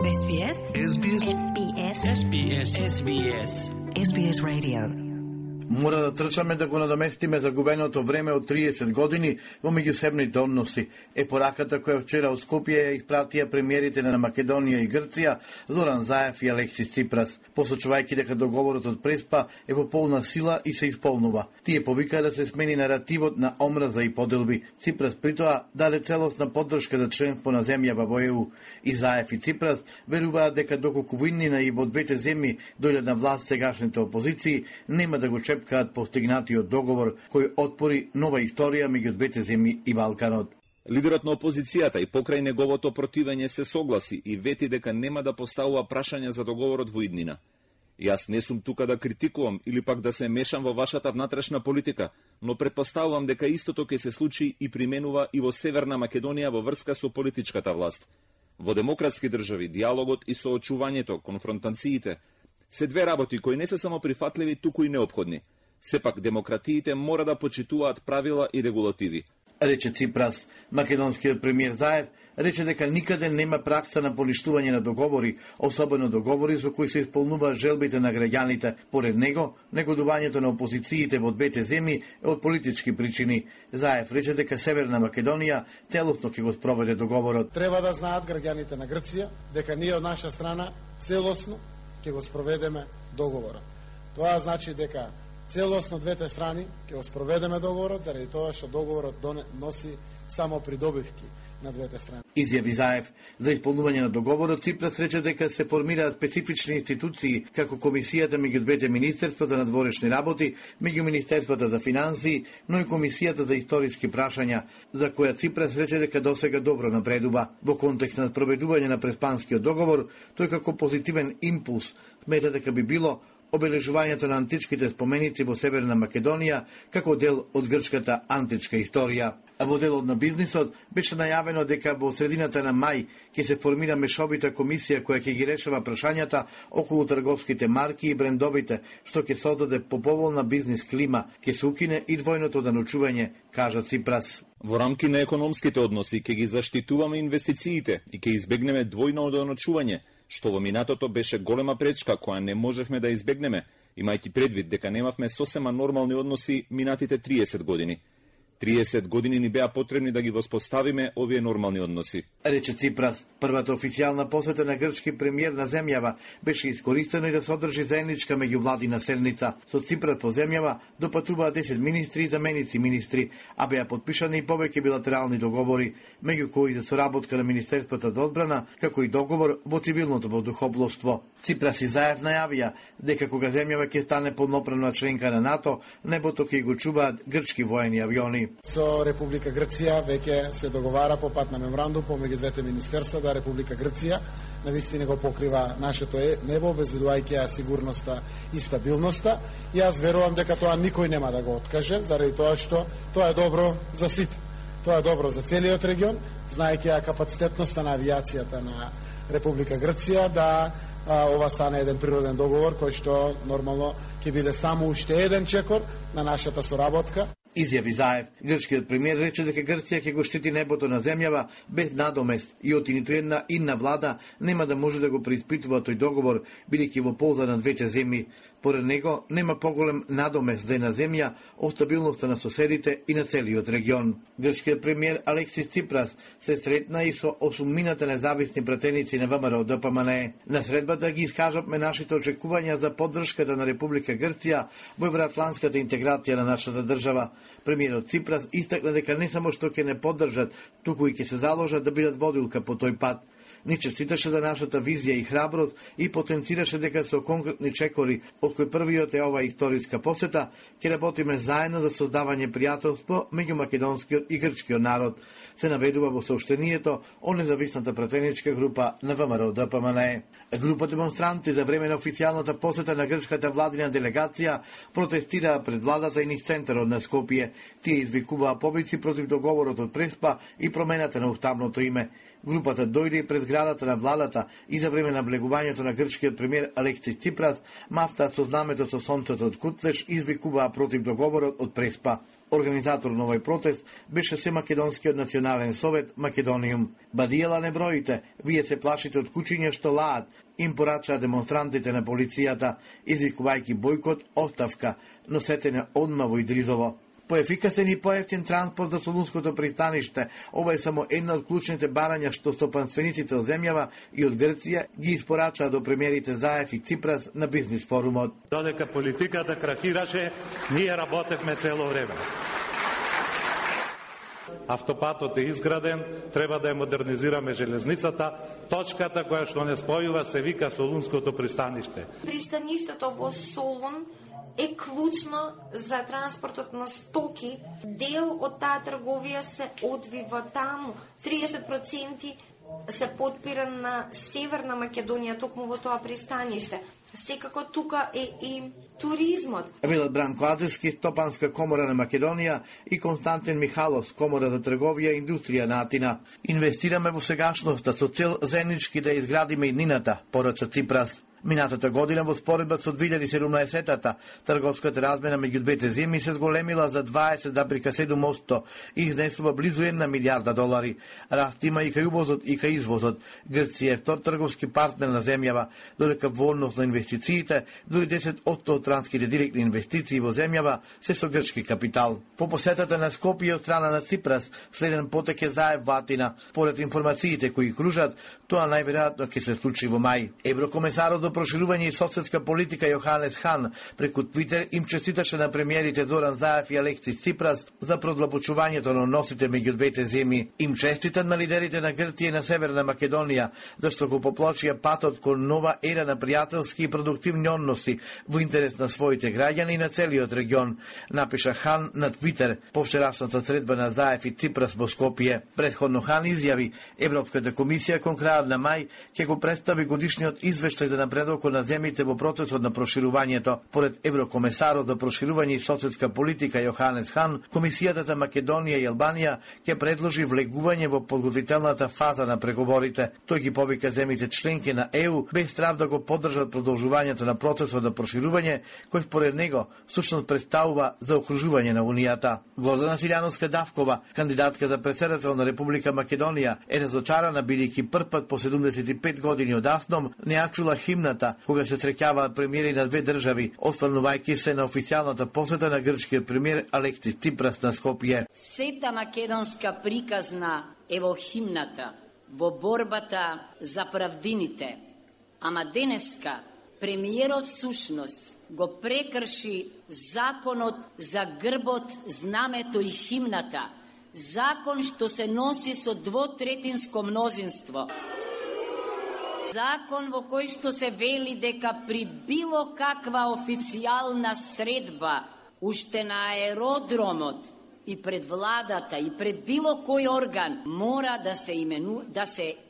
SBS. SBS. SBS. SBS. SBS. SBS Radio. Мора да трчаме да го надоместиме загубеното време од 30 години во меѓусебните односи. Е пораката која вчера во Скопје ја испратија премиерите на Македонија и Грција, Зоран Заев и Алексис Ципрас, посочувајќи дека договорот од Преспа е во полна сила и се исполнува. Тие повикаа да се смени наративот на омраза и поделби. Ципрас при тоа даде целосна поддршка за членство на земјава во ЕУ. И Заев и Ципрас веруваат дека доколку војнина и во двете земји дојдат на власт сегашните опозиции, нема да го чепкаат постигнатиот договор кој отпори нова историја меѓу двете земји и Балканот. Лидерот на опозицијата и покрај неговото противење се согласи и вети дека нема да поставува прашања за договорот во иднина. Јас не сум тука да критикувам или пак да се мешам во вашата внатрешна политика, но претпоставувам дека истото ќе се случи и применува и во Северна Македонија во врска со политичката власт. Во демократски држави диалогот и соочувањето, конфронтациите се две работи кои не се само прифатливи, туку и неопходни. Сепак демократиите мора да почитуваат правила и регулативи. Рече Ципрас. Македонскиот премиер Заев рече дека никаде нема пракса на поништување на договори, особено договори за кои се исполнуваат желбите на граѓаните. Поред него, негодувањето на опозициите во двете земји е од политички причини. Заев рече дека Северна Македонија целосно ќе го спроведе договорот. Треба да знаат граѓаните на Грција дека ние од наша страна целосно ќе го спроведеме договорот. Тоа значи дека целосно двете страни ќе го спроведеме договорот, заради тоа што договорот носи само придобивки на двете страни. Изјави Заев. За исполнување на договорот Ципрас рече дека се формираат специфични институции како комисијата меѓу двете министерства за надворешни работи, меѓу министерствата за финансии, но и комисијата за историски прашања, за која Ципрас рече дека досега добро напредува. Во контекст на спроведување на Преспанскиот договор, тој како позитивен импулс смета дека би било обележувањето на античките споменици во Северна Македонија како дел од грчката античка историја. А во делот на бизнисот беше најавено дека во средината на мај ќе се формира мешовита комисија која ќе ги решава прашањата околу трговските марки и брендовите, што ќе создаде поповолна бизнис клима, ќе се укине и двојното даночување, кажа Ципрас. Во рамки на економските односи ќе ги заштитуваме инвестициите и ќе избегнеме двојно даночување, што во минатото беше голема пречка која не можевме да избегнеме, имајќи предвид дека немавме сосема нормални односи минатите 30 години. 30 години ни беа потребни да ги воспоставиме овие нормални односи. Рече Ципрас. Првата официјална посета на грчки премиер на земјава беше искористена и да се одржи заедничка меѓувладина седница. Со Ципрас по земјава допатуваа 10 министри и заменици министри, а беа подпишани и повеќе билатерални договори, меѓу кои за соработка на Министерството за одбрана, како и договор во цивилното воздухопловство. Ципрас и Заев најавија дека кога земјава ќе стане полноправна членка на НАТО, небото ќе го чуваат грчки воени авиони. Со Република Грција веќе се договара по пат на меморандум помеѓу двете министерства да Република Грција навистина го покрива нашето небо, обезбедувајќи ја сигурноста и стабилноста. И јас верувам дека тоа никој нема да го откаже, заради тоа што тоа е добро за сите. Тоа е добро за целиот регион, знаејќи ја капацитетноста на авијацијата на Република Грција да ова стане еден природен договор кој што нормално ќе биде само уште еден чекор на нашата соработка. Изјави Заев. Грчкиот премиер рече дека Грција ќе го штити небото на земјава без надомест и од ниту една инна влада нема да може да го преиспитува тој договор, бидејќи во полза на двете земји. Поред него нема поголем надомест за една земја од стабилноста на соседите и на целиот регион. Грчкиот премиер Алексис Ципрас се сретна и со 8 независни пратеници на ВМРО ДПМНЕ. На средбата ги искажавме нашите очекувања за поддршката на Република Грција во евроатлантската интеграција на нашата држава. Премиерот Ципрас истакна дека не само што ќе не поддржат, туку и ќе се заложат да бидат водилка по тој пат. Ни честиташе за нашата визија и храброст и потенцираше дека со конкретни чекори, од кои првиот е ова историска посета, ќе работиме заедно за создавање пријателство меѓу македонскиот и грчкиот народ, се наведува во сообщението од независната пратеничка група на ВМРО ДПМНЕ. Група демонстранти за време на официјалната посета на грчката владина делегација протестираа пред владата и низ центарот на Скопје. Тие извикуваа побици против договорот од Преспа и промената на уставното име. Групата дојде и пред зградата на владата и за време на влегувањето на грчкиот премиер Алекси Ципрас, мафта со знамето со сонцето од Кутлеш извикуваа против договорот од Преспа. Организатор на овој протест беше се Македонскиот национален совет Македониум. Бадиела не броите, вие се плашите од кучиња што лаат, им порачаа демонстрантите на полицијата, извикувајќи бойкот, оставка, но сете не одма во Идризово. Поефикасен и поевтин транспорт за Солунското пристаниште, ова е само една од клучните барања што стопанствениците од земјава и од Грција ги испорачаа до премиерите Заев и Ципрас на бизнис форумот. Додека политиката крахираше, ние работевме цело време. Автопатот е изграден, треба да ја модернизираме железницата. Точката која што не спојува се вика Солунското пристаниште. Пристаништето во Солун е клучно за транспортот на стоки. Дел од таа трговија се одвива таму. 30% се подпира на Северна Македонија, токму во тоа пристаниште. Секако тука е и туризмот. Велат Бранко Азевски, Стопанска комора на Македонија и Константин Михалов, Комора за трговија и индустрија на Атина. Инвестираме во сегашноста со цел заеднички да изградиме иднината, порача Ципрас. Минатата година во споредба со 2017-та, трговската размена меѓу двете земји се зголемила за 20,7% и изнесува близу 1 милијарда долари. Раст има и кај увозот и кај извозот. Грција е втор трговски партнер на земјава, додека во однос на инвестициите, дури 10% од транските директни инвестиции во земјава се со грчки капитал. По посетата на Скопје од страна на Ципрас, следен потек е Заев во Атина. Поред информациите кои кружат, тоа најверојатно ќе се случи во мај. Еврокомесарот до проширување и соцсетска политика Јоханес Хан преку Твитер им честиташе на премиерите Зоран Заев и Алекси Ципрас за продлабочувањето на односите меѓу двете земји. Им честитат на лидерите на Грција и на Северна Македонија, зашто го поплочија патот кон нова ера на пријателски и продуктивни односи во интерес на своите граѓани и на целиот регион, напиша Хан на Твитер по вчерашната средба на Заев и Ципрас во Скопје. Претходно Хан изјави, Европската комисија кон крајот на мај ќе го представи годишниот извештај за напредокот на земјите во процесот на проширувањето. Поред еврокомесарот за проширување и соцсетска политика Јоханес Хан, Комисијата за Македонија и Албанија ќе предложи влегување во подготвителната фаза на преговорите. Тој ги повика земјите членки на ЕУ без страв да го поддржат продолжувањето на процесот на проширување, кој според него всушност представува заокружување на Унијата. Гордана Силјановска-Давкова, кандидатка за претседател на Република Македонија, е разочарана бидејќи првпат по 75 години од Асном не ја чула химната кога се среќаваат премиери на две држави, остварнувајќи се на официјалната посета на грчкиот премиер Алекси Ципрас на Скопје. Сета македонска приказна е во химната, во борбата за правдините. Ама денеска премиерот сушност го прекрши законот за грбот, знамето и химната. Закон што се носи со двотретинско мнозинство. Закон во кој што се вели дека при било каква официјална средба, уште на аеродромот и пред владата и пред било кој орган, мора да се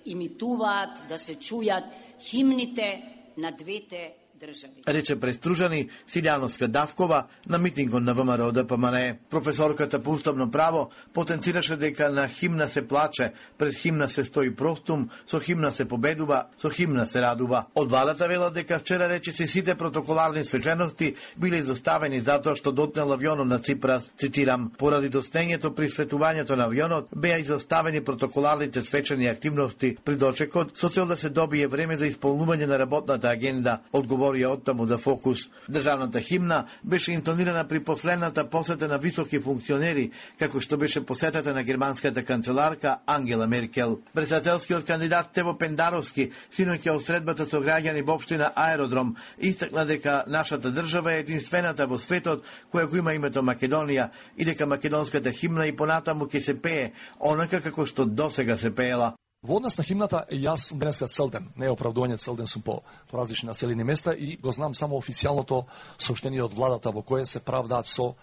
имитуваат, да се чујат химните на двете држави. Рече престружани Силјановска-Давкова на митингот на ВМРО ДПМНЕ. Професорката по уставно право потенцираше дека на химна се плаче, пред химна се стои простум, со химна се победува, со химна се радува. Од владата велат дека вчера речиси сите протоколарни свечености биле изоставени затоа што дотнел авионот на Ципрас. Цитирам, поради доснењето при светувањето на авионот беа изоставени протоколарните свечени активности при дочекот со цел да се добие време за исполнување на работната агенда, одговорија оттаму за Фокус. Државната химна беше интонирана при последната посета на високи функционери, како што беше посетата на германската канцеларка Ангела Меркел. Председателскиот кандидат Тево Пендаровски синоќа од средбата со граѓани во општина Аеродром истакна дека нашата држава е единствената во светот која го има името Македонија и дека македонската химна и понатаму ќе се пее онака како што досега се пеела. Во однос на химната, јас сум денеска целден, не е оправдување, целден сум по различни населени места и го знам само официјалното соопштение од владата во кое се правдаат со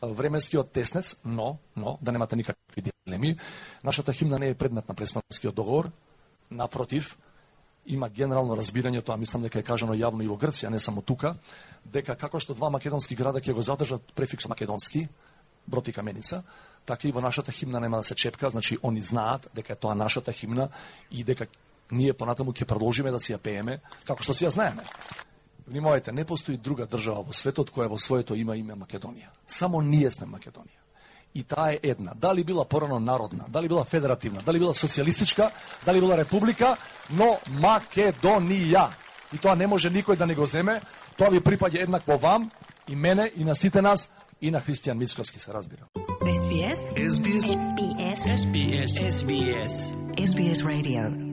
временскиот теснец, но да немате никакви дилеми, нашата химна не е предмет на Преспанскиот договор, напротив, има генерално разбирање, тоа мислам дека е кажано јавно и во Грција, не само тука, дека како што два македонски града ќе го задржат префикс македонски, Брод и Каменица, така и во нашата химна нема да се чепка, значи они знаат дека е тоа нашата химна и дека ние понатаму ќе продолжиме да си ја пееме, како што си ја знаеме. Внимавајте, не постои друга држава во светот која во своето име Македонија. Само ние сме Македонија. И таа е една. Дали била порано народна, дали била федеративна, дали била социјалистичка, дали била република, но Македонија. И тоа не може никој да не го земе. Тоа ви припаѓа еднакво вам и мене и на сите нас и на Христијан Мицковски, се разбира. SBS. SBS. SBS. SBS. SBS Radio.